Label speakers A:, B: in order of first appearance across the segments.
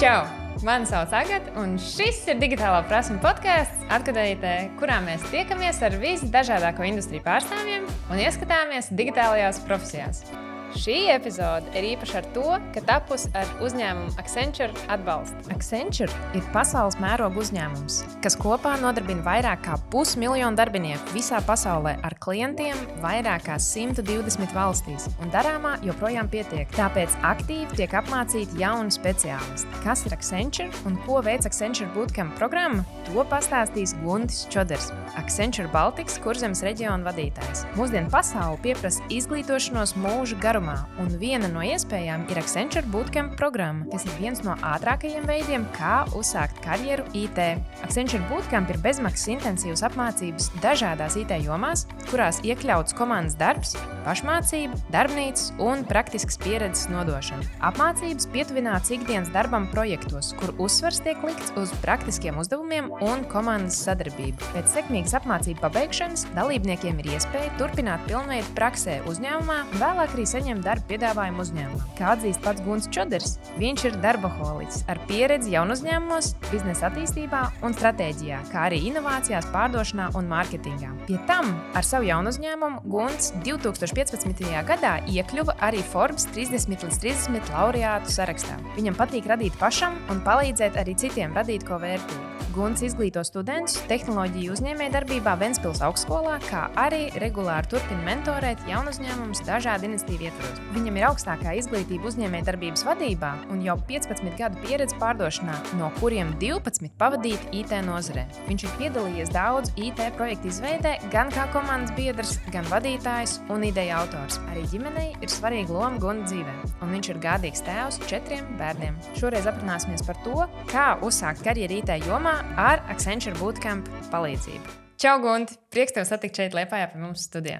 A: Čau! Mani sauc Agata, un šis ir Digitālā prasme podcasts, atgadītē, kurā mēs tiekamies ar visdažādāko industriju pārstāvjiem un ieskatāmies digitālajās profesijās. Šī epizode ir īpaša ar to, ka tapusi ar uzņēmumu Accenture atbalstu. Accenture ir pasaules mēroga uzņēmums, kas kopā nodarbina vairāk kā 500 000 darbinieku visā pasaulē ar klientiem vairāk kā 120 valstīs, un darāmā joprojām pietiek. Tāpēc aktīvi tiek apmācīti jauni speciālisti. Kas ir Accenture un ko veic Accenture Bootcamp programma, to pastāstīs Guntis Čoders, Accenture Baltikas Kurzemes reģiona vadītājs. Mūsdienu pasaule pieprasa izglītošanos mūža garumā, un viena no iespējām ir Accenture Bootcamp programma, kas ir viens no ātrākajiem veidiem, kā uzsākt karjeru IT. Accenture Bootcamp ir bezmaksas intensīvas apmācības dažādās IT jomās, kurās iekļauts komandas darbs, pašmācība, darbnīcas un praktiskas pieredzes nodošana. Apmācības pietuvināts ikdienas darbam projektos, kur uzsvars tiek likts uz praktiskiem uzdevumiem un komandas sadarbību. Pēc sekmīgas apmācību pabeigšanas dalībniekiem ir iespēja turpināt pilnveidu praksē uzņēmumā un vēlāk arī saņemt darba piedāvājumu uzņēmumā. Kā atzīst pats Guntis Čoders, viņš ir darbaholiķis ar pieredzi jaunu uzņēmumos, biznesa attīstībā un stratēģijā, kā arī inovācijās, pārdošanā un mārketingā. Pie tam ar savu jaunu uzņēmumu Guntis 2015. gadā iekļuva arī Forbes 30 līdz 30 laureātu sarakstā. Viņam patīk radīt pašam un palīdzēt arī citiem radīt ko vērtīgu. Guntis izglīto studentus tehnoloģiju uzņēmējdarbībā Ventspils augstskolā, kā arī regulāri turpina mentorēt jaunu uzņēmumus dažādu iniciatīvu ietvaros. Viņam ir augstākā izglītība uzņēmējdarbības vadībā un jau 15 gadu pieredze pārdošanā, no kuriem 12 pavadīti IT nozarē. Viņš ir piedalījies daudz IT projektu izveidē, gan kā komandas biedrs, gan vadītājs un ideja autors. Arī ģimenei ir svarīga loma Gunta dzīvē, un viņš ir gādīgs tēvs 4 bērniem. Šoreiz aprunāsimies par to, kā uzsākt karjeru IT jomā ar Accenture Bootcamp palīdzību. Čau, Gunti! Prieks tev satikt šeit Liepājā pie mums studijā.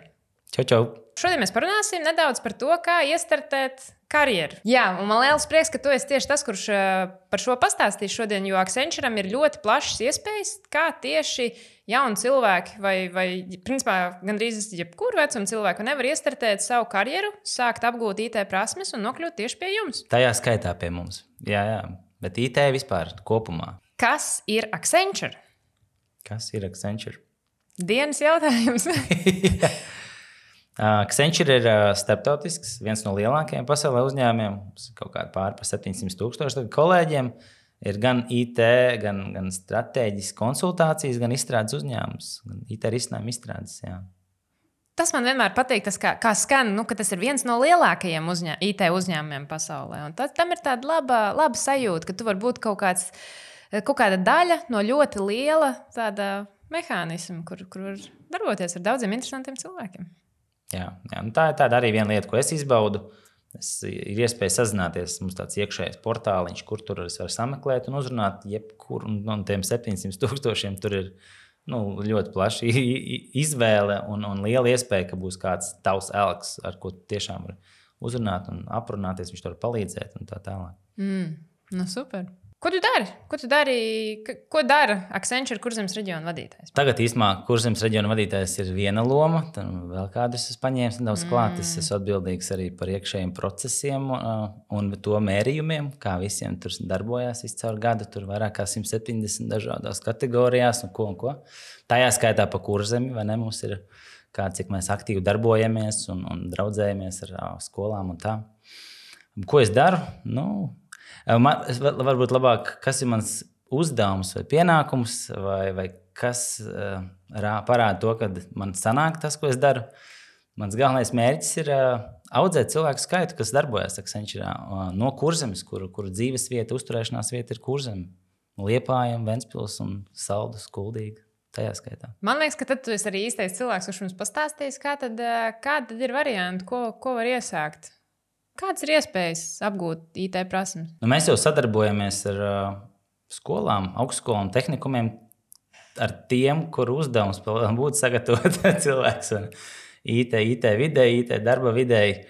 B: Čau, čau!
A: Šodien mēs parunāsim nedaudz par to, kā iestartēt karjeru. Jā, un man liels prieks, ka tu esi tieši tas, kurš par šo pastāstīs šodien, jo Accenture'am ir ļoti plašas iespējas, kā tieši jauni cilvēki vai principā gandrīz jebkuru vecumu cilvēku nevar iestartēt savu karjeru, sākt apgūt IT prasmes un nokļūt tieši pie jums.
B: Tajā skaitā pie mums. Jā, bet IT vispār kopumā.
A: Kas ir Accenture?
B: Kas ir Accenture?
A: Dienas jautājums.
B: Accenture ir starptautisks, viens no lielākajiem pasaulē uzņēmumiem. Kaut kādi pār par 700 000 kolēģiem. Ir gan IT, gan stratēģiskas konsultācijas, gan izstrādes uzņēmums. Gan IT risinājumu izstrādes, jā.
A: Tas man vienmēr patīk, tas kā skan, ka tas ir viens no lielākajiem IT uzņēmumiem pasaulē. Un tam ir tāda laba sajūta, ka tu vari būt kaut kāda daļa no ļoti liela tāda mehānisma, kur var darboties ar daudziem interesantiem cilvēkiem.
B: Jā, tā ir tāda arī viena lieta, ko es izbaudu. Ir iespēja sazināties, mums tāds iekšējais portāliņš, kur tur es varu sameklēt un uzrunāt jebkuru no tiem 700 000. Tur ir ļoti plaša izvēle un liela iespēja, ka būs kāds tavs elks, ar ko tiešām var uzrunāt un aprunāties, viņš tur var palīdzēt un tā tālāk.
A: Super! Ko tu dari? Ko dara Accenture Kurzemes reģiona vadītājs?
B: Tagad īstenībā Kurzemes reģiona vadītājs ir viena loma, tad vēl kādus es paņēmu nedaudz klāt. Es esmu atbildīgs arī par iekšējiem procesiem un to mērījumiem, kā visiem tur darbojās viscaur gadu. Tur vairāk kā 170 dažādās kategorijās un ko. Tajā skaitā pa Kurzemi, vai ne, mums ir cik mēs aktīvi darbojamies un draudzējamies ar skolām un tā. Ko es daru? Varbūt labāk, kas ir mans uzdevums vai pienākums, vai kas parāda to, ka man sanāk tas, ko es daru. Mans galvenais mērķis ir audzēt cilvēku skaitu, kas darbojas Accenture no Kurzemes, kuru dzīves vieta, uzturēšanās vieta ir Kurzeme. Liepāja, Ventspils un Saldus, Kuldīga. Tajā skaitā.
A: Man liekas, ka tad tu esi arī īstais cilvēks, kurš mums pastāstīs, kā tad ir varianti, ko var iesākt. Kādas ir iespējas apgūt IT prasmes?
B: Mēs jau sadarbojamies ar skolām, augstskolām, tehnikumiem, ar tiem, kur uzdevums būtu sagatavot cilvēks IT videi, IT darba videi.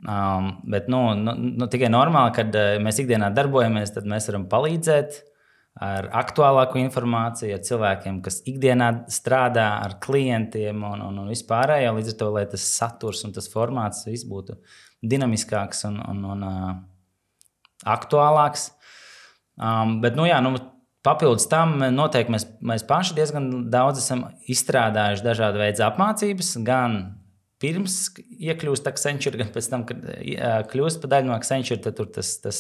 B: Bet tikai normāli, kad mēs ikdienā darbojamies, tad mēs varam palīdzēt ar aktuālāku informāciju, ar cilvēkiem, kas ikdienā strādā ar klientiem un vispārējo. Līdz ar to, lai tas saturs un tas formāts viss būtu dinamiskāks un aktuālāks. Bet, papildus tam noteikti mēs paši diezgan daudz esam izstrādājuši dažādu veidu apmācības, gan pirms iekļūst Accenture, gan pēc tam, kad kļūst par daļu no Accenture, tad tur tas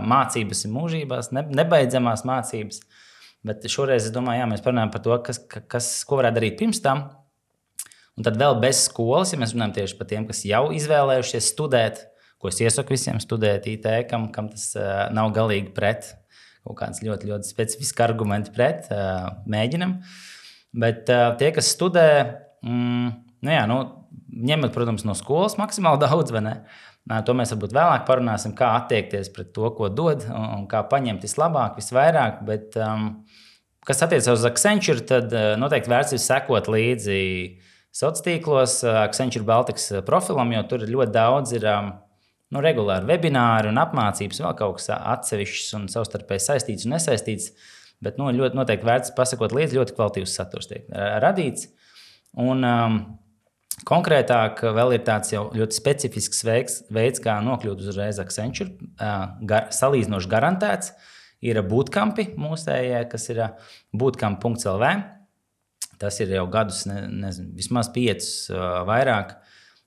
B: mācības ir mūžībās, nebeidzamās mācības. Bet šoreiz es domāju, mēs parunājam par to, ko varētu darīt pirms tam. Un tad vēl bez skolas, ja mēs runājam tieši par tiem, kas jau izvēlējušies studēt, ko es iesaku visiem studēt IT, kam tas nav galīgi pret, kaut kāds ļoti, ļoti specifiski argumenti pret, mēģinam. Bet tie, kas studē, ņemot, protams, no skolas maksimāli daudz, vai ne? To mēs varbūt vēlāk parunāsim, kā attiekties pret to, ko dod, un kā paņemt vislabāk, visvairāk. Bet, kas attiecas uz Accenture, tad noteikti vērts ir sekot līdzi sociālos tīklos, Accenture Baltics profilam, jo tur ļoti daudz ir regulāri webināri un apmācības, vēl kaut kas atsevišķs un savstarpēji saistīts un nesaistīts. Bet ļoti noteikti vērts pasakot līdzi, ļoti kvalitīvs saturs tiek radīts. Un konkrētāk vēl ir tāds jau ļoti specifisks veids, kā nokļūt uzreiz Accenture, salīdzinoši garantēts. Ir bootcampi mūsējie, kas ir bootcamp.lv. Tas ir jau gadus, vismaz 5 vairāk.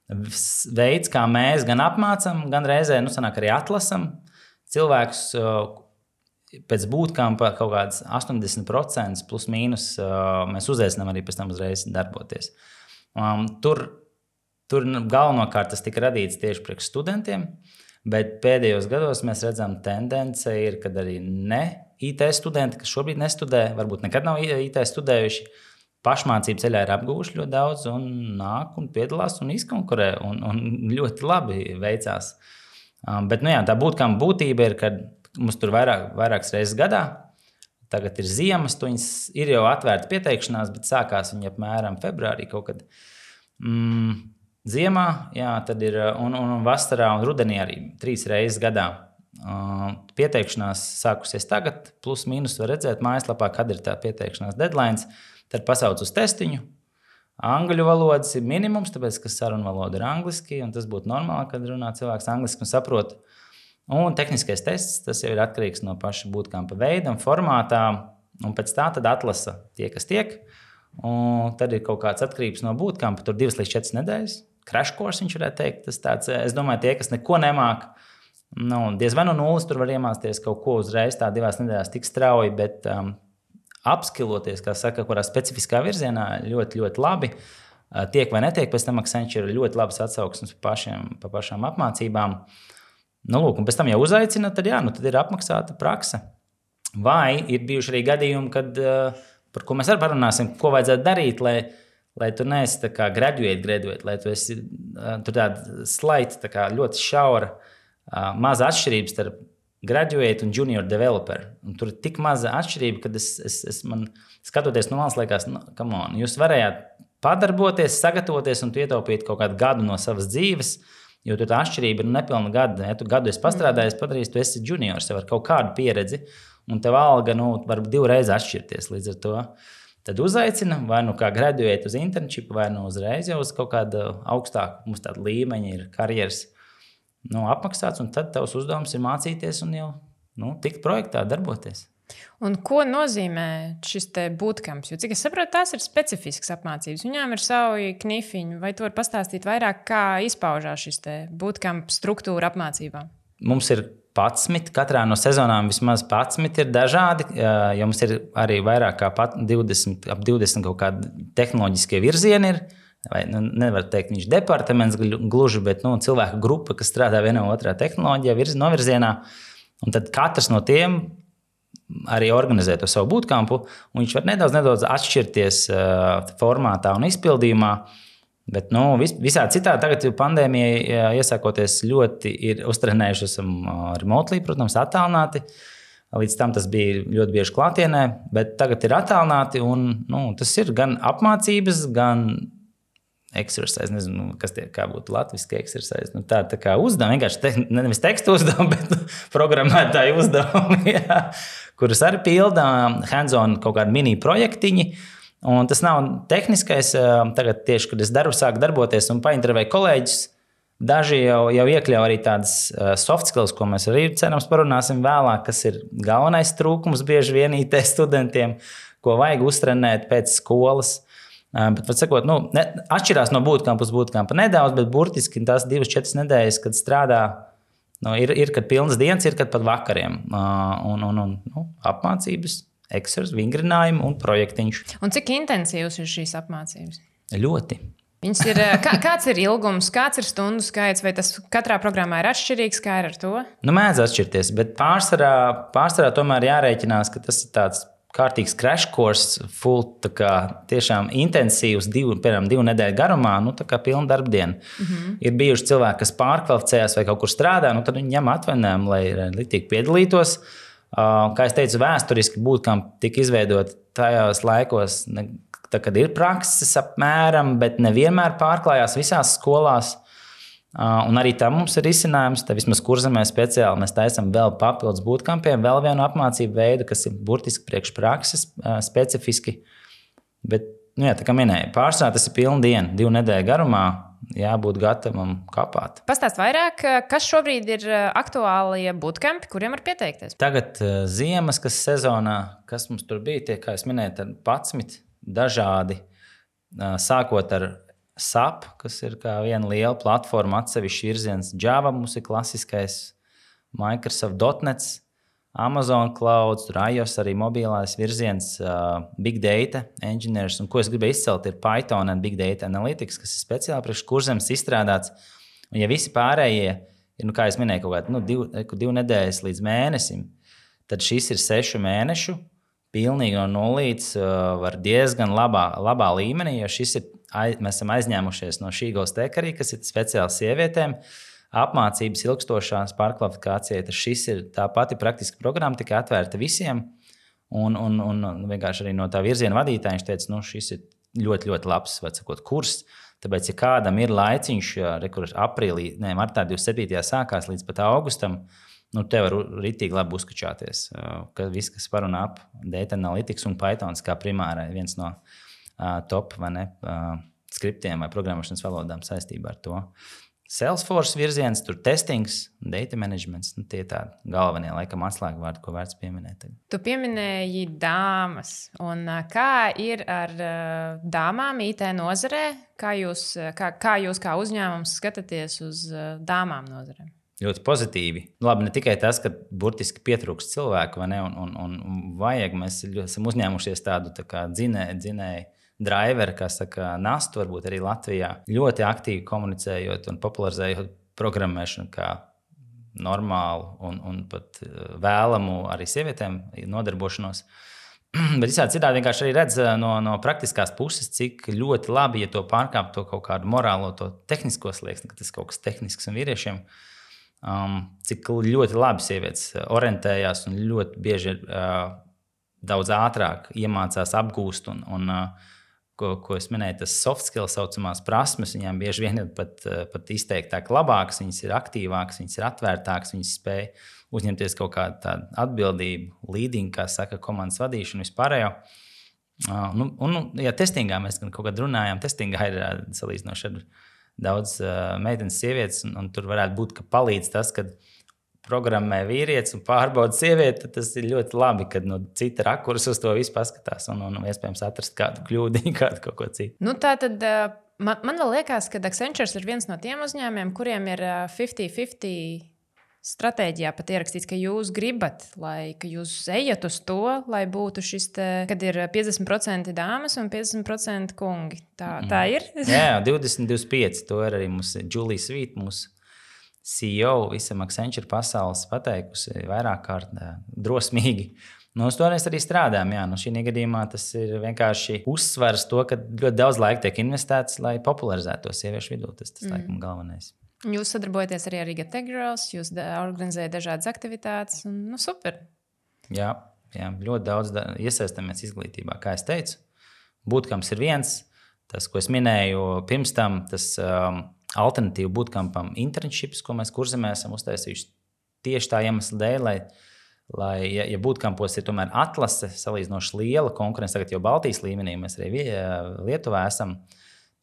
B: Veids, kā mēs gan apmācam, gan reizē sanāk arī atlasam cilvēkus pēc bootcampa kaut kāds 80% plus mīnus mēs uzaicinām arī pēc tam uzreiz darboties. Tur galvenokārt tas tika radīts tieši priekš studentiem, bet pēdējos gados mēs redzam tendence ir, kad arī ne IT studenti, kas šobrīd nestudē, varbūt nekad nav IT studējuši, pašmācību ceļā ir apguvuši ļoti daudz un nāk un piedalās un izkonkurē un ļoti labi veicās. Bet tā bootcamp būtība ir, kad mums tur vairākas reizes gadā. Tagad ir ziemas, viņas ir jau atvērta pieteikšanās, bet sākās viņa apmēram februārī kaut kad. Ziemā, tad ir un vasarā un rudenī arī 3 reizes gadā. Pieteikšanās sākusies tagad, plus mīnus var redzēt mājaslapā, kad ir tā pieteikšanās deadlines. Tad pasauc uz testiņu. Angļu valodas ir minimums, tāpēc, ka sarunvaloda ir angliski, un tas būtu normāli, kad runā cilvēks angliski un saprot. Un tehniskais tests, tas jau ir atkarīgs no paša bootcampa veida un formātā, un pēc tā tad atlasa tie, kas tiek. Un tad ir kaut kāds atkarības no bootcampa, tur 2 līdz 4 nedēļas. Crash course, viņš varētu teikt. Tas tāds, es domāju, tie, kas neko nemāk, diez vai no nulles tur var iemācīties kaut ko uzreiz, tā 2 nedēļās tik strauji, bet apskiloties, kā saka, kurā specifiskā virzienā ļoti, ļoti labi. Tiek vai netiek, pēc tam Accenture ir ļoti labas atsauksmes pa pašām apmācībām. Lūk, un pēc tam jau uzaicina, tad tad ir apmaksāta prakse. Vai ir bijuši arī gadījumi, kad, par ko mēs arī parunāsim, ko vajadzētu darīt, lai tu neesi tā kā graduate, lai tu esi tur tāda slaita, tā kā ļoti šaura, maza atšķirības starp graduate un junior developer. Un tur ir tik maza atšķirība, kad man skatoties no malas liekas, come on, jūs varējāt padarboties, sagatavoties un ietaupīt kaut kādu gadu no savas dzīves, jo tur tā atšķirība ir nepilna gada. Ja tu gadu esi pastrādājis, padarījis, tu esi juniors, tev ar kaut kādu pieredzi, un tev alga var 2 reizes atšķirties līdz ar to. Tad uzaicina vai kā graduate uz internship, vai uzreiz jau uz kaut kādu augstāku, mums tādu līmeņu ir karjeras apmaksāts, un tad tavs uzdevums ir mācīties un jau tikt projektā, darboties.
A: Un ko nozīmē šis te bootcamps? Jo, cik es saprotu, tās ir specifiskas apmācības. Viņām ir savi knifiņi. Vai tu vari pastāstīt vairāk, kā izpaužās šis te bootcamp struktūra apmācībām?
B: Mums ir 11, katrā no sezonām vismaz 11 ir dažādi, jo mums ir arī vairāk kā 20 kaut kādi tehnoloģiskie virzieni ir. Vai, nevar teikt, viņš departaments gluži, bet cilvēku grupa, kas strādā vienā otrā tehnoloģijā, novirzienā. Un tad katrs no tiem arī organizē to savu bootcampu, un viņš var nedaudz atšķirties formātā un izpildījumā. Bet visā citā tagad pandēmija iesākoties ļoti ir uztrenējuši, esam remotely, protams, attālināti. Līdz tam tas bija ļoti bieži klātienē, bet tagad ir attālināti, un tas ir gan apmācības, gan exercise, nezinu, kas tie kā būtu latviski exercise. Tā kā uzdevumi, vienkārši nevis tekstu uzdevumi, bet programmētāju uzdevumi, kurus arī pilda hands-on kaut kādi mini projektiņi. Un tas nav tehniskais. Tagad tieši, kad es sāku darboties un paintervēju kolēģis, Daži jau iekļauj arī tādas soft skills, ko mēs arī cerams parunāsim vēlāk, kas ir galvenais trūkums bieži vien IT studentiem, ko vajag uztrenēt pēc skolas. Bet, var sakot, atšķirās no bootcampa uz bootcampa nedaudz, bet burtiski tās 2-4 nedēļas, kad strādā, ir kad pilnas dienas, ir kad pat vakariem. Apmācības, eksers, vingrinājumi un projektiņš.
A: Un cik intensīvs ir šīs apmācības?
B: Ļoti.
A: Kāds ir ilgums, kāds ir stundu skaits, vai tas katrā programmā ir atšķirīgs, kā ir ar to?
B: Mēdz atšķirties, bet pārsvarā tomēr jārēķinās, ka tas ir tāds kārtīgs crash course, full, tiešām intensīvs, 2 nedēļu garumā, tā kā pilna darbdiena. Ir bijuši cilvēki, kas pārkvalificējās vai kaut kur strādā, tad viņi ņem atvaļinājumu, lai liktīgi piedalītos. Kā es teicu, vēsturiski bootcamp tika izveidot tajos laikos, kad ir prakses apmēram, bet nevienmēr pārklājās visās skolās. Un arī tam mums ir risinājums. Vismaz Kurzemē speciāli mēs taisam vēl papildus bootcampiem, vēl vienu apmācību veidu, kas ir burtiski priekš prakses specifiski. Bet, tā kā minēju, pārsvarā tas ir pilna diena, 2 nedēļu garumā, jābūt gatavam kapāt.
A: Pastāst vairāk, kas šobrīd ir aktuālie bootcampi, kuriem var pieteikties?
B: Tagad ziemas, kas sezonā, kas mums tur bija, tie, kā es minēju, 11 dažādi, sākot ar SAP, kas ir kā viena liela platforma, atsevišķi virziens. Java mums ir klasiskais, Microsoft.net, Amazon Cloud, iOS arī mobilais virziens, Big Data Engineers. Un ko es gribēju izcelt, ir Python un Big Data Analytics, kas ir speciāli priekš Kurzemes izstrādāts. Un ja visi pārējie ir, kā es minēju, kaut kādi 2 nedēļas līdz mēnesim, tad šis ir 6 mēnešu. Pilnīgi no nulītes var diezgan labā līmenī, jo mēs esam aizņēmušies no šī Ghost-Tech arī, kas ir speciāls sievietēm. Apmācības ilgstošās pārkvalifikācijai, tad šis ir tā pati praktiska programma, tikai atvērta visiem. Un vienkārši arī no tā virziena vadītāja viņš teica, šis ir ļoti, ļoti labs kurs. Tāpēc, ja kādam ir laiciņš, martā 27. sākās līdz pat augustam, te var ritīgi labi uzkačāties. Viss, kas parunā ap Data Analytics un Pythons kā primārai, viens no top skriptiem vai programmēšanas valodām saistībā ar to. Salesforce virziens, tur testings, data managements, tie tādi galvenie, laikam, atslēgvārdi, ko vērts pieminēt.
A: Tu pieminēji dāmas. Un kā ir ar dāmām IT nozarē? Kā jūs kā uzņēmums skatāties uz dāmām nozarēm?
B: Ļoti pozitīvi. Labi, ne tikai tas, ka burtiski pietrūkst cilvēku, vai ne, un vajag, mēs esam uzņēmušies tādu dzinēju driveru, kā saka, nastu, varbūt arī Latvijā, ļoti aktīvi komunicējot un popularizējot programmēšanu kā normālu un pat vēlamu arī sievietēm nodarbošanos. Bet visādi citādi vienkārši arī redz no praktiskās puses, cik ļoti labi, ja to pārkāp to kaut kādu morālo, to tehnisko slieksni, ka tas kaut kas tehnisks un vīriešiem. Cik ļoti labi sievietes orientējās un ļoti bieži daudz ātrāk iemācās apgūst un ko es minēju, tas soft skills saucamās prasmes, viņām bieži vien ir pat izteiktāk labākas, viņas ir aktīvākas, viņas ir atvērtākas, viņas spēj uzņemties kaut kādu tādu atbildību, leading, kā saka, komandas vadīšanu vispārējo. Ja testingā mēs kaut kad runājām, testingā ir salīdzinoši ar daudz meitenes sievietes, un tur varētu būt, ka palīdz tas, kad programmē vīrietis un pārbauda sievieti, tad tas ir ļoti labi, kad no cita rakursa uz to visu paskatās un iespējams atrast kādu kļūdiņu, kādu kaut ko citu.
A: Tā tad man vēl liekas, ka Accenture ir viens no tiem uzņēmumiem, kuriem ir 50-50 stratēģijā pat ierakstīts, ka jūs gribat, ka jūs ejat uz to, lai būtu šis, kad ir 50% dāmas un 50% kungi. Tā ir?
B: Jā, 20-25. To ir arī mums Julie Sweet, mūsu CEO, visam Accenture pasaules pateikusi vairāk kārt drosmīgi. Uz to mēs arī strādājam. Jā. Šī gadījumā tas ir vienkārši uzsvars to, ka ļoti daudz laika tiek investēts, lai popularizētu to sieviešu vidū. Tas laikam galvenais.
A: Jūs sadarbojaties arī ar Riga Tech Girls, jūs organizējat dažādas aktivitātes. Super.
B: Jā, ļoti daudz iesaistamies izglītībā. Kā es teicu, bootcamps ir viens. Tas, ko es minēju pirms tam, tas alternatīva bootcampam internships, ko mēs Kurzemē esam uztaisījuši tieši tā iemesla dēļ, lai ja bootcampos ir tomēr atlase salīdzinoši liela konkurence, tagad jau Baltijas līmenī, mēs arī Lietuvā esam,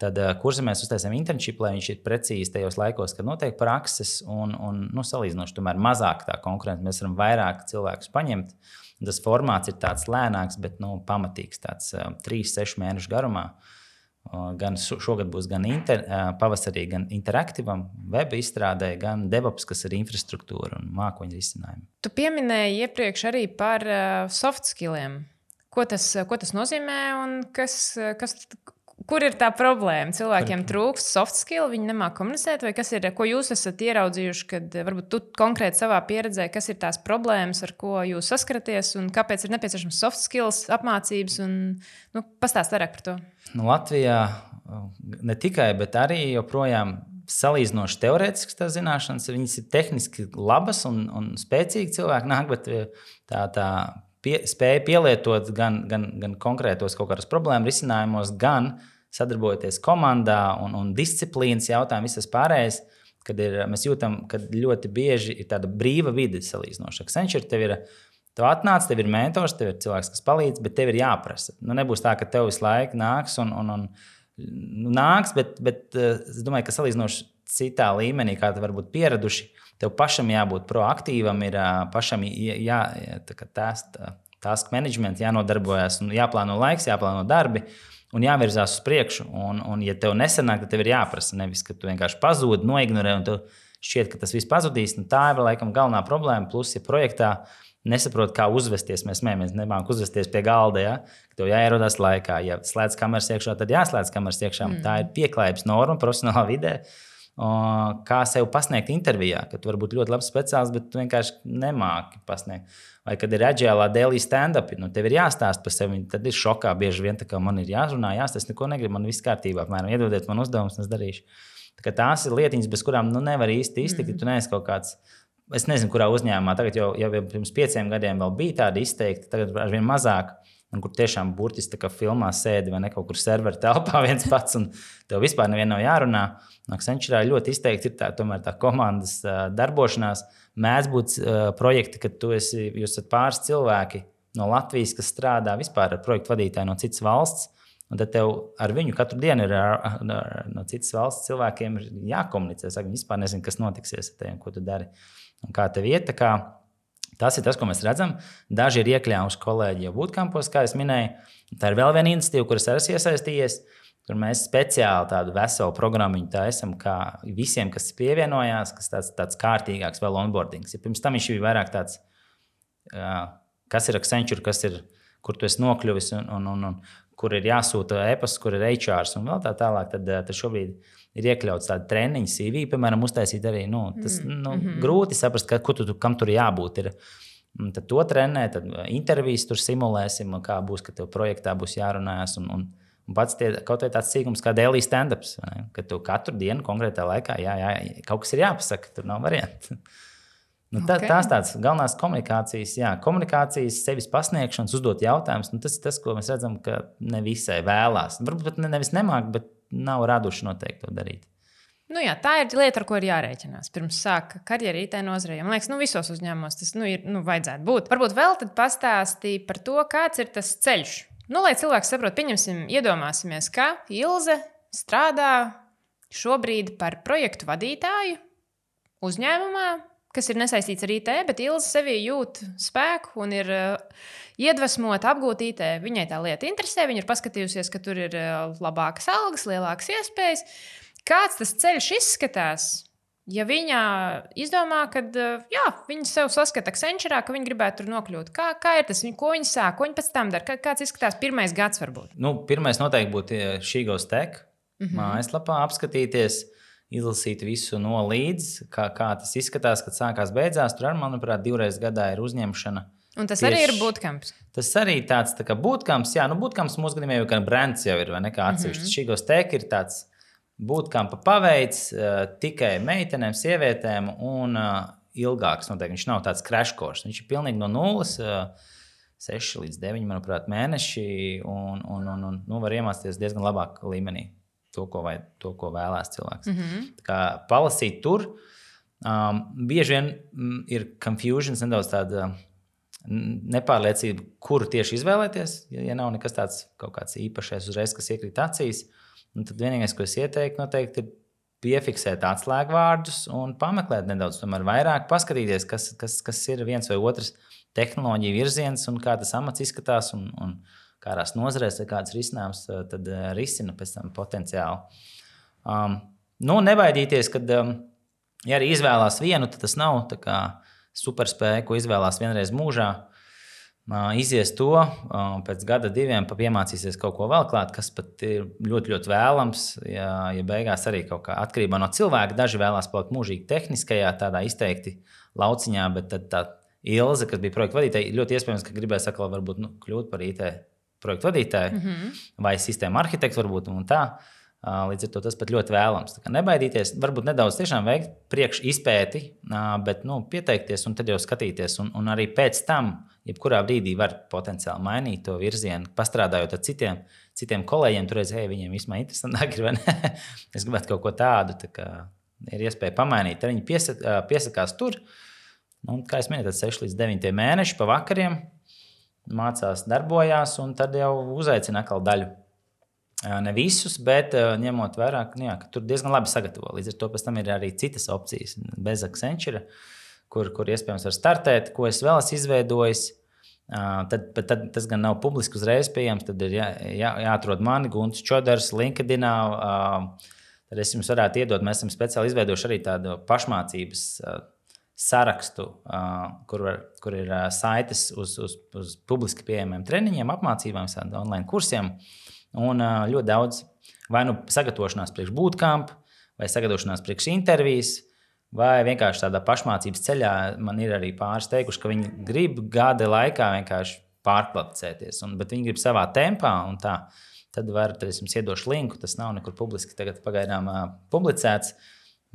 B: Tad Kurzemēs uztaisām internship, lai viņš ir precīzi tajos laikos, kad notiek prakses un salīdzinoši tomēr mazāk tā konkurence. Mēs varam vairāk cilvēkus paņemt. Tas formāts ir tāds lēnāks, bet pamatīgs, tāds 3-6 mēnešu garumā. Gan šogad būs gan pavasarī, gan interaktīvam web izstrādē, gan DevOps, kas ir infrastruktūra un mākoņu risinājumi.
A: Tu pieminēji iepriekš arī par soft skilliem. Ko tas nozīmē un kur ir tā problēma? Cilvēkiem trūkst soft skill, viņi nemāk komunicēt, vai kas ir, ko jūs esat ieraudzījuši, kad varbūt tu konkrēti savā pieredzē, kas ir tās problēmas, ar ko jūs saskaraties un kāpēc ir nepieciešams soft skills, apmācības un pastāst vairāk par to.
B: Latvijā ne tikai, bet arī joprojām salīdzinoši teorētiskas tās zināšanas, viņas ir tehniski labas un spēcīgi cilvēki nāk, bet tā spēja pielietot gan konkrētos kaut kādas problēmu risinājumos, gan sadarbojoties komandā un disciplīnas jautājumu, visas pārējais, mēs jūtam, ka ļoti bieži ir tāda brīva vide salīdzinoša. Accenture tev atnāc, tev ir mentors, tev ir cilvēks, kas palīdz, bet tev ir jāprasa. Nebūs tā, ka tev visu laiku nāks nāks, bet es domāju, ka salīdzinoši citā līmenī, kā te varbūt pieraduši, tev pašam jābūt proaktīvam, ir pašam task management, jānodarbojas, un jāplāno laiks, jāplāno darbi un jāvirzās uz priekšu. Un ja tev nesanāk, tad tev ir jāprasa. Nevis, ka tu vienkārši pazūdi, noignorē un tev šķiet, ka tas viss pazudīs. Tā ir laikam galvenā problēma. Plus, ja projektā nesaprot, kā uzvesties, mēs nemākam uzvesties pie galda, ja? Tev jāierodās laikā. Ja slēdz kameras iekšā, tad jāslēdz kameras iekšā. Tā ir pieklājības norma profesionālā vidē. Kā sev pasniegt intervijā, ka tu vari būt ļoti labs speciālists, bet tu vienkārši nemāki pasniegt. Vai kad ir agilā daily stand-up, tev ir jāstāst par sevi, tad ir šokā bieži vien, ka man ir jārunā, es neko negribu, man viss kārtībā, apmēram, iedodiet man uzdevumus, un es darīšu. Tās ir lietiņas, bez kurām nevar īsti iztikt, ja tu neesi kaut kāds, es nezinu, kurā uzņēmumā, tagad jau pirms 5 gadiem vēl bija tādi izteikti, tagad arvien mazāk, un kur tiešām burtiski tā kā filmā sēdi vai ne kaut kur servera telpā viens pats, un tev vispār nevienam nav jārunā. Accenture ļoti izteikti ir tomēr tā komandas darbošanās. Mēdz būt projekti, kad jūs esat pāris cilvēki no Latvijas, kas strādā vispār ar projektu vadītāju no citas valsts, un tad tev ar viņu katru dienu ir no citas valsts cilvēkiem jākomunicē. Viņi vispār nezinu, kas notiksies ar tevi, ko tu dari un kā tev iet. Tas ir tas, ko mēs redzam. Daži ir iekļāvuši kolēģi jau bootcampos, kā es minēju. Tā ir vēl viena iniciatīva, kuras esmu iesaistījies, kur mēs speciāli tādu veselu programmu taisam, kā visiem, kas pievienojās, kas tāds kārtīgāks vēl onboardings. Ja pirms tam viņš bija vairāk tāds, kas ir Accenture, kur tu esi nokļuvis un kur ir jāsūta e-pasts, kur ir HRs un vēl tā tālāk, tad šobrīd ir iekļauts tāda treniņa CV, piemēram, uztaisīt arī, grūti saprast, kam tur jābūt. Tad to trenē, tad intervijas tur simulēsim, kā būs, ka tev projektā būs jārunājas un pats kaut vai tāds sīkums kā daily stand-ups, ka tev katru dienu konkrētā laikā kaut kas ir jāpasaka, tur nav variantu. Tās tādas galvenās komunikācijas, sevis pasniegšanas, uzdot jautājumus, tas ir tas, ko mēs redzam, ka ne visai vēlās. Varbūt nevis nemāk, bet nav raduši noteikti to darīt.
A: Tā ir lieta, ar ko ir jārēķinās. Pirms sāka karjeru IT nozarē. Man liekas, visos uzņēmumos tas vajadzētu būt. Varbūt vēl tad pastāstīja par to, kāds ir tas ceļš. Lai cilvēks saprot, iedomāsimies, ka Ilze strādā šobrīd par projektu vadītāju uzņēmumā, kas ir nesaistīts ar IT, bet Ilze sevī jūt spēku un ir iedvesmota apgūt IT. Viņai tā lieta interesē, viņa ir paskatījusies, ka tur ir labākas algas, lielākas iespējas. Kāds tas ceļš izskatās, ja viņa izdomā, ka viņa sev saskata Accenture, ka viņa gribētu tur nokļūt? Kā ir tas, ko viņa sāk, ko viņa pēc tam dara? Kāds izskatās pirmais gads varbūt?
B: Pirmais noteikti būtu She Goes Tech mājaslapā apskatīties, izlasīt visu no līdz, kā tas izskatās, kad sākās beidzās. Tur, manuprāt, 2 reizes gadā ir uzņemšana.
A: Un tas arī ir bootcamps?
B: Tas arī tāds tā kā bootcamps. Bootcamps mūsu gadījumā jau kā brands jau ir, vai ne kā atsevišķi. She Goes Tech ir tāds bootcampa paveids tikai meitenēm, sievietēm un ilgāks. Noteikti. Viņš nav tāds crash course. Viņš ir pilnīgi no nulles, 6 līdz 9, manuprāt, mēneši un var iemācīties diezgan labāk līmenī. To, ko vēlās cilvēks. Tā kā palasīt tur, bieži vien ir confusions, nedaudz tāda nepārliecība, kuru tieši izvēlēties, ja nav nekas tāds kaut kāds īpašais uzreiz, kas iekrīt acīs. Un tad vienīgais, ko es ieteiktu, noteikti ir piefiksēt atslēgvārdus un pameklēt nedaudz, tomēr vairāk paskatīties, kas ir viens vai otrs tehnoloģija virziens un kā tas amats izskatās un kādās nozarēs vai kādas risinājums tad risina pēc tam potenciāli. Nebaidīties, kad ja arī izvēlās vienu, tad tas nav tā kā superspēja, ko izvēlās vienreiz mūžā. Izies to, pēc gada, 2 piemācīsies kaut ko vēl klāt, kas pat ir ļoti, ļoti vēlams, ja beigās arī kaut kā atkarībā no cilvēka. Daži vēlās palikt mūžīgi tehniskajā, tādā izteikti lauciņā, bet tad tā Ilze, kas bija projekta vadītāja, ļoti iespējams, ka gribēs atkal varbūt kļūt par IT projektu vadītāju vai sistēmu arhitektu varbūt un tā. Līdz ar to tas pat ļoti vēlams. Nebaidīties, varbūt nedaudz tiešām veikt priekš izpēti, bet pieteikties un tad jau skatīties. Un arī pēc tam, jebkurā brīdī var potenciāli mainīt to virzienu, pastrādājot ar citiem kolēģiem. Tur reizē viņiem vismaz interesantāk ir, vai ne? Es gribētu kaut ko tādu, tā kā ir iespēja pamainīt. Tad viņi piesakās tur. Kā es minēju, tad 6 līdz 9 mēneši pa vakariem mācās, darbojās un tad jau uzaicina atkal daļu. Ne visus, bet ņemot vērā, ka tur diezgan labi sagatavo. Līdz ar to pēc tam ir arī citas opcijas bez Accenture, kur iespējams var startēt, ko es vēl esmu izveidojis. Tad tas gan nav publiski uzreiz pieejams, tad ir jāatrod mani, Gunts Čodars, LinkedInā. Tad es jums varētu iedot, mēs esam speciāli izveidojuši arī tādu pašmācības sarakstu, kur ir saites uz publiski pieejamiem treniņiem, apmācībām, online kursiem. Un ļoti daudz vai sagatavošanās priekš bootcamp, vai sagatavošanās priekš intervijas, vai vienkārši tādā pašmācības ceļā. Man ir arī pāris teikuši, ka viņi grib gada laikā vienkārši pārkvalificēties, bet viņi grib savā tempā un tā. Tad es jums iedošu linku, tas nav nekur publiski tagad pagaidām publicēts,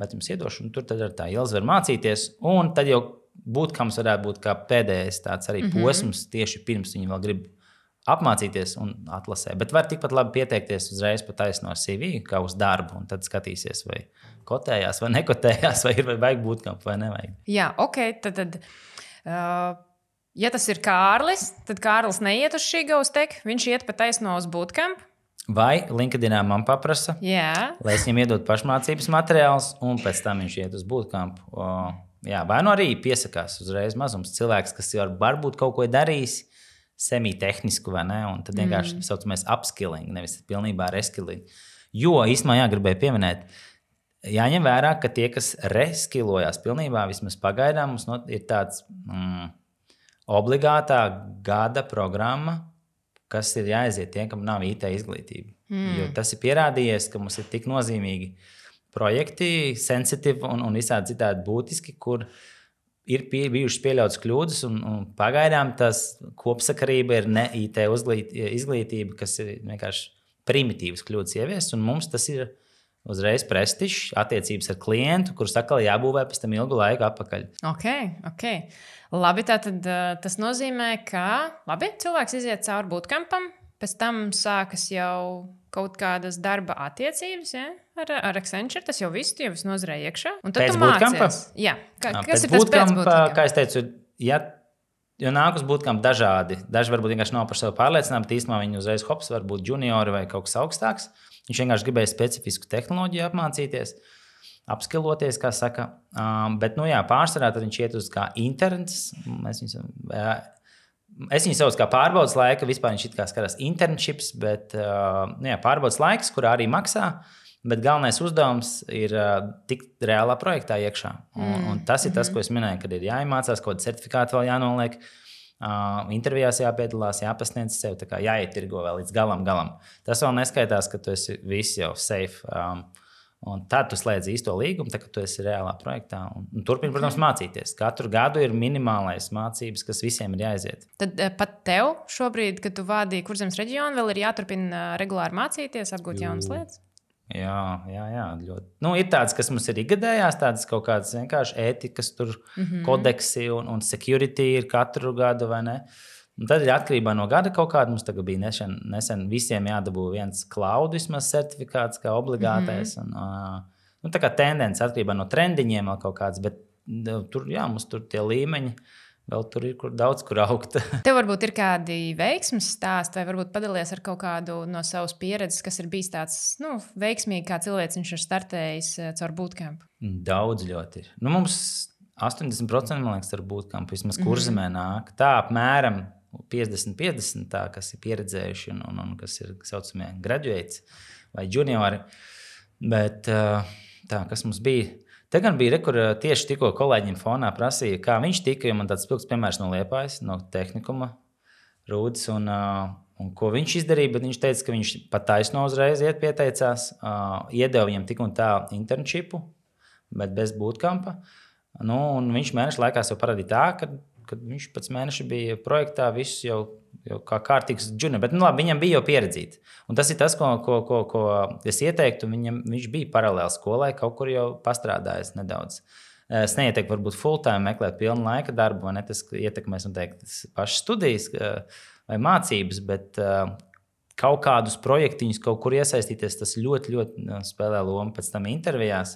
B: bet jums iedošu, un tur tad ar tā Ilze var mācīties. Un tad jau bootcamps varētu būt kā pēdējais tāds arī posms, tieši pirms viņi vēl grib apmācīties un atlasē. Bet var tikpat labi pieteikties uzreiz pa taisno CV, kā uz darbu, un tad skatīsies, vai kotējās, vai nekotējās, vai ir vajag bootcamp, vai nevajag.
A: Jā, ok. Tad, ja tas ir Kārlis, tad Kārlis neiet uz šī GoTech, viņš iet pa taisno uz bootcamp.
B: Vai LinkedInā man paprasa, lai es viņam iedod pašmācības materiālus, un pēc tam viņš iet uz bootcamp. Vai arī piesakās uzreiz mazums cilvēks, kas jau varbūt kaut ko darījis, semi-tehnisku, vai ne? Un tad vienkārši saucamies upskilling, nevis pilnībā reskilling. Jo īstenībā gribēju pieminēt, jāņem vērā, ka tie, kas reskilojās pilnībā, vismaz pagaidām, mums ir tāds obligātā gada programma, kas ir jāaiziet tiem, kam nav IT izglītība. Jo tas ir pierādījies, ka mums ir tik nozīmīgi projekti, sensitīvi un visādi citādi būtiski, kur ir bijušas pieļautas kļūdas, un pagaidām tas kopsakarība ir ne IT izglītība, kas ir vienkārši primitīvas kļūdas ieviest, un mums tas ir uzreiz prestižs, attiecības ar klientu, kurus atkal jābūvē pēc tam ilgu laiku atpakaļ.
A: Ok. Labi, tātad tas nozīmē, ka cilvēks iziet cauri bootcampam, pēc tam sākas jau kaut kādas darba attiecības, ja? Ar Accenture, tas jau viss nozarēja iekšā. Un tad tu mācies. Jā, kas ir tas pēc bootcampa?
B: Kā es teicu, jo nāk uz bootcamp dažādi. Daži varbūt vienkārši nav par sevi pārliecināti, bet īstenībā viņi uzreiz hops var būt juniori vai kaut kas augstāks. Viņš vienkārši gribēja specifisku tehnoloģiju apmācīties, apskiloties, kā saka. Bet, pārsvarā tad viņš iet uz kā interns. Es viņu saucu kā pārbaudas laika, vispār viņš it kā skatās internships, bet pārbaudas laiks, kurā arī maksā, bet galvenais uzdevums ir tikt reālā projektā iekšā. Un tas ir tas, ko es minēju, kad ir jāiemācās, kaut kāda certifikāta vēl jānoliek, intervijās jāpiedalās, jāpasniedz sev, tā kā jāietirgo vēl līdz galam. Tas vēl neskaitās, ka tu esi viss jau safe. Un tad tu slēdz īsto līgumu, tad, kad tu esi reālā projektā. Un turpini, protams, mācīties. Katru gadu ir minimālais mācības, kas visiem ir jāaiziet.
A: Tad pat tev šobrīd, kad tu vādīji Kurzemes reģionu, vēl ir jāturpina regulāri mācīties, apgūt jaunas lietas?
B: Jā, ļoti. Ir tādas, kas mums ir ikgadējās, tādas kaut kādas vienkārši ētikas, kodeksi un security ir katru gadu, vai ne? Un tad ir atkarībā no gada kaut kāda. Mums tagad bija nesen visiem jādabū viens cloud vismaz certifikāts kā obligātais. Tā kā tendence atkarībā no trendiņiem vēl kaut kāds, bet mums tur tie līmeņi vēl tur ir daudz, kur augt.
A: Tev varbūt ir kādi veiksmes stāsti, vai varbūt padalies ar kaut kādu no savas pieredzes, kas ir bijis tāds veiksmīgi, kā cilvēks viņš ir startējis caur bootcamp?
B: Daudz ļoti ir. Mums 80% man liekas ar bootcamp vismaz kurzemē nāk. Tā apmēram 50-50, tā, kas ir pieredzējuši un kas ir saucamie graduates vai juniori. Bet tā, kas mums bija? Te gan bija, kur tieši tikko kolēģiem fonā prasīja, kā viņš tika, jo man tāds spilgts piemērs no Liepājas, no tehnikuma Rūdis, un ko viņš izdarīja, bet viņš teica, ka viņš pat taisno uzreiz pieteicās, iedeva viņam tik un tā internshipu, bet bez bootcampa. Un viņš mēneša laikā sev parādīja tā, kad viņš pēc mēneša bija projektā, viss jau kā kārtīgs junior, bet labi, viņam bija jau pieredzīti. Un tas ir tas, ko es ieteiktu, viņš bija paralēli skolai, kaut kur jau pastrādājis nedaudz. Es neieteiktu varbūt full time meklēt pilnu laika darbu, vai ne, tas ietekmēs noteikti pašas studijas vai mācības, bet kaut kādus projektiņus kaut kur iesaistīties, tas ļoti, ļoti spēlē lomu pēc tam intervijās.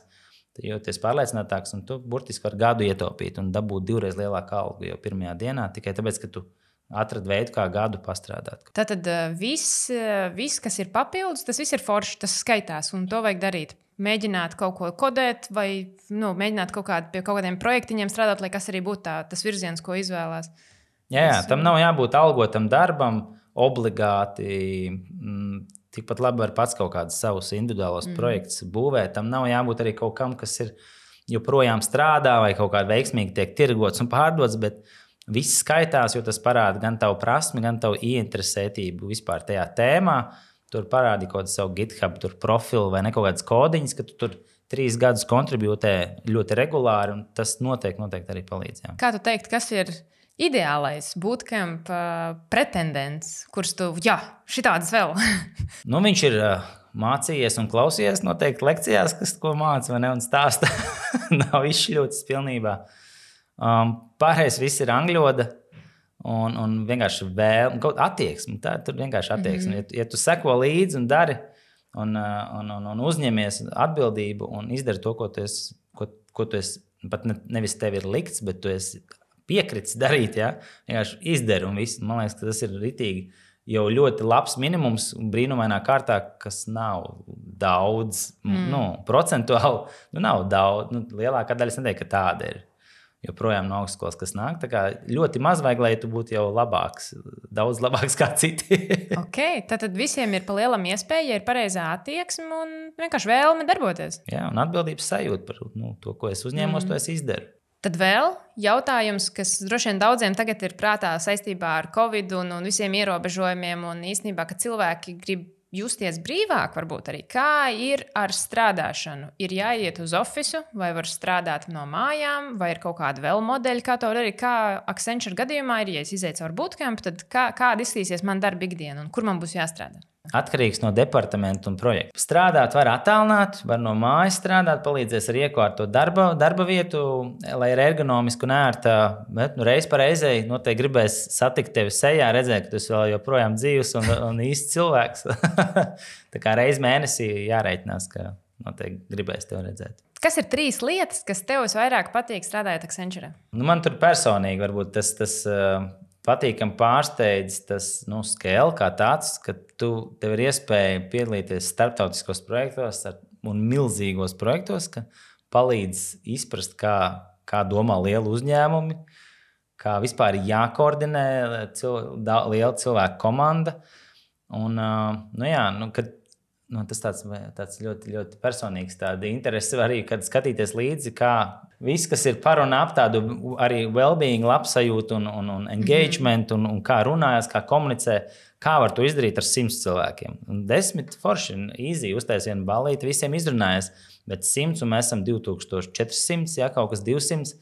B: Jo tu esi pārliecinātāks, un tu burtiski var gadu ietaupīt un dabūt 2 lielāku algu jau pirmajā dienā, tikai tāpēc, ka tu atradi veidu, kā gadu pastrādāt.
A: Tātad viss, kas ir papildus, tas viss ir forši, tas skaitās, un to vajag darīt. Mēģināt kaut ko kodēt, vai mēģināt pie kaut kādiem projektiņiem strādāt, lai kas arī būtu tas virziens, ko izvēlās.
B: Jā, tam nav jābūt algotam darbam, obligāti. Tikpat labi var pats kaut kādus savus individuālos projektus būvēt. Tam nav jābūt arī kaut kam, kas ir joprojām strādā vai kaut kā veiksmīgi tiek tirgots un pārdots, bet viss skaitās, jo tas parāda gan tavu prasmi, gan tavu ieinteresētību vispār tajā tēmā. Tur parādi kaut kādu savu GitHub profilu vai ne kaut kādas kodiņas, ka tu tur 3 gadus kontribūtē ļoti regulāri, un tas noteikti arī palīdz. Jā.
A: Kā tu teikt, kas ir ideālais bootcamp pretendents, kurš tu, šitādas vēl?
B: Viņš ir mācījies un klausījies noteikti lekcijās, kas ko māca, vai ne, un stāsta. Nav izšļūts pilnībā. Pārējais viss ir angļoda un vienkārši vēl attieksme. Tur vienkārši attieksme. Ja tu seko līdzi un dari un uzņemies atbildību un izdari to, ko tu esi pat nevis tev ir likts, bet tu esi piekritis darīt, vienkārši izdari un viss. Man liekas, ka tas ir ritīgi jau ļoti labs minimums brīnumainā kārtā, kas nav daudz, procentuāli, nav daudz. Lielākā daļa es neteiktu, ka tāda ir. Joprojām no augstskolas, kas nāk. Tā kā ļoti maz vajag, lai tu būtu jau labāks, daudz labāks kā citi.
A: Tad visiem ir pa lielam iespēja, ja ir pareizā attieksme un vienkārši vēlme darboties.
B: Jā, un atbildības sajūta par to, ko es uzņēmos, to es izdaru.
A: Tad vēl jautājums, kas droši vien daudziem tagad ir prātā saistībā ar Covid un visiem ierobežojumiem, un īstenībā, ka cilvēki grib justies brīvāk, varbūt arī. Kā ir ar strādāšanu? Ir jāiet uz ofisu, vai var strādāt no mājām, vai ir kaut kāda vēl modeļa, kā to darīt? Kā Accenture gadījumā ir, ja es izietu caur bootcamp, tad kāda izskatīsies man darba ikdiena un kur man būs jāstrādā?
B: Atkarīgs no departamenta un projekta. Strādāt var attālināt, var no mājas strādāt, palīdzēs ar iekārtot darba vietu, lai ir ergonomiski un ērta, bet reiz pa reizei noteikti gribēs satikt tevi sejā, redzēt, ka tu esi vēl joprojām dzīvs un īsts cilvēks. Tā kā reiz mēnesī jāreitinās, ka noteikti gribēs tevi redzēt.
A: Kas ir 3 lietas, kas tev visvairāk patīk strādājot Accenture?
B: Man tur personīgi varbūt tas patīkami pārsteidz tas scale kā tāds, ka tev ir iespēja piedalīties starptautiskos projektos un milzīgos projektos, ka palīdz izprast, kā domā lieli uzņēmumi, kā vispār jākoordinē liela cilvēku komanda. Un, tas tāds ļoti, ļoti personīgs interesi arī, kad skatīties līdzi, kā viss, kas ir par un ap tādu arī well-being, labsajūtu un engagement, un kā runājas, kā komunicē, kā var to izdarīt ar 100 cilvēkiem. Un 10 forši, easy, uztais vienu balīti, visiem izrunājas, bet 100 un mēs esam 2400, kaut kas 200.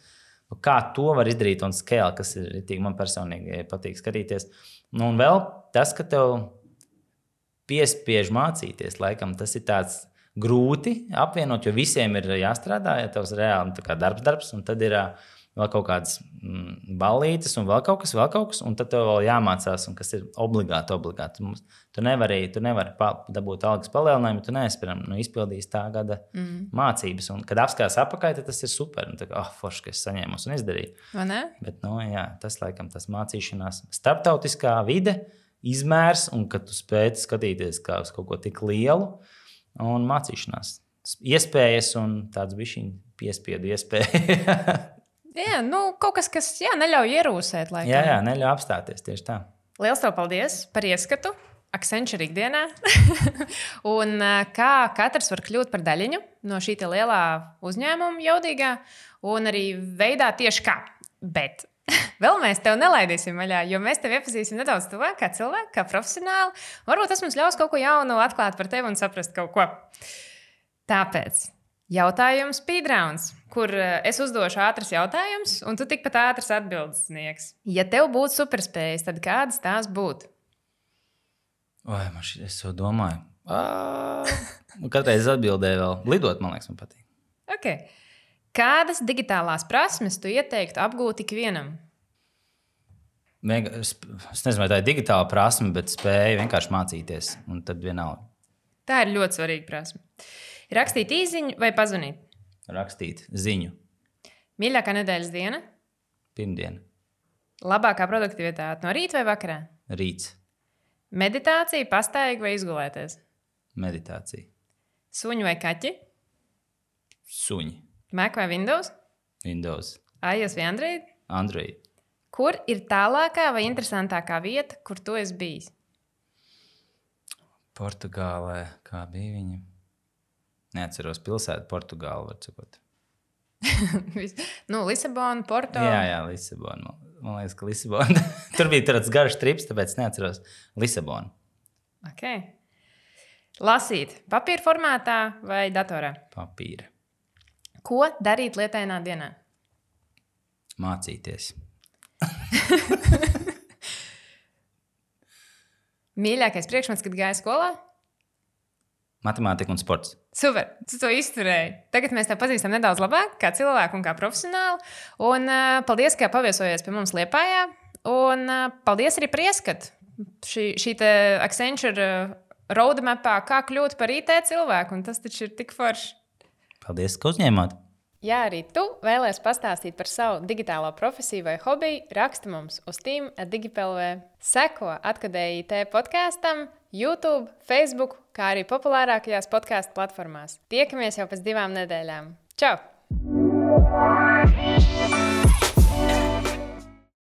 B: Kā to var izdarīt un scale, kas ir ritīgi, man personīgi patīk skatīties. Un vēl tas, ka tev piespiež mācīties, laikam tas ir tāds grūti apvienot, jo visiem ir jāstrādā, ja tavs reāli darbs, un tad ir vēl kaut kādas ballītes un vēl kaut kas, un tad tev vēl jāmācās, un kas ir obligāti. Tu nevari dabūt algas palielinājumu, tu neesi, piemēram, izpildījis tā gada mācības, un kad apskatās apakaļ, tad tas ir super, un tā kā, forši, ka es saņēmu un izdarīju.
A: Vai ne?
B: Bet, jā, tas laikam tas mācīšanās starptautiskā vide, izmērs, un kad tu spēj skatīties kā uz kaut ko tik lielu, un mācīšanās. Iespējas un tāds bišķiņ piespiedu iespēju.
A: Jā, kaut kas, kas neļauj ierūsēt. Laikam.
B: Jā, neļauj apstāties tieši tā.
A: Liels tev paldies par ieskatu Accenture ikdienā. Un kā katrs var kļūt par daļiņu no šī lielā uzņēmuma jaudīgā un arī veidā tieši kā. Bet vēl mēs tev nelaidīsim vaļā, jo mēs tevi iepazīsim nedaudz tuvāk kā cilvēku, kā profesionāli. Varbūt tas mums ļaus kaut ko jaunu atklāt par tevi un saprast kaut ko. Tāpēc jautājums speedrounds, kur es uzdošu ātras jautājumus, un tu tikpat ātras atbildes sniegs. Ja tev būtu superspējas, tad kādas tās būtu?
B: Es to domāju. Katreiz atbildēju vēl. Lidot, man liekas, man patīk.
A: Okay. Kādas digitālās prasmes tu ieteiktu apgūt ikvienam?
B: Es nezinu, vai tā ir digitāla prasme, bet spēja vienkārši mācīties, un tad vienalga.
A: Tā ir ļoti svarīga prasme. Rakstīt īziņu vai pazvanīt?
B: Rakstīt ziņu.
A: Mīļākā nedēļas diena?
B: Pirmdiena.
A: Labākā produktivitāte no rīta vai vakarā?
B: Rīts.
A: Meditācija, pastaigā vai izgulēties?
B: Meditācija.
A: Suņi vai kaķi?
B: Suņi.
A: Mac vai Windows?
B: Windows.
A: iOS vai Android?
B: Android.
A: Kur ir tālākā vai interesantākā vieta, kur tu esi bijis?
B: Portugālē. Kā bija viņa? Neatceros pilsētu, Portugāli, var sakot.
A: Lisabona, Porto.
B: Jā, Lisabona. Man liekas, ka Lisabona. Tur bija tāds garš trips, tāpēc neatceros Lisabonu.
A: Okay. Lasīt papīra formātā vai datorā?
B: Papīra.
A: Ko darīt lietainā dienā?
B: Mācīties.
A: Mīļākais priekšmets, kad gāja skolā?
B: Matemātika un sports.
A: Super, tu to izturēji. Tagad mēs tevi pazīstam nedaudz labāk, kā cilvēku un kā profesionāli. Un paldies, ka paviesojies pie mums Liepājā. Un paldies arī par ieskatu. Šī Accenture roadmapā, kā kļūt par IT cilvēku. Un tas taču ir tik forši.
B: Paldies, ka uzņēmāt.
A: Ja arī tu vēlies pastāstīt par savu digitālo profesiju vai hobiju, raksti mums uz team@digipelv. Seko Atkadēji IT podkastam, YouTube, Facebook, kā arī populārākajās podkāstu platformās. Tiekamies jau pēc 2 nedēļām. Čau!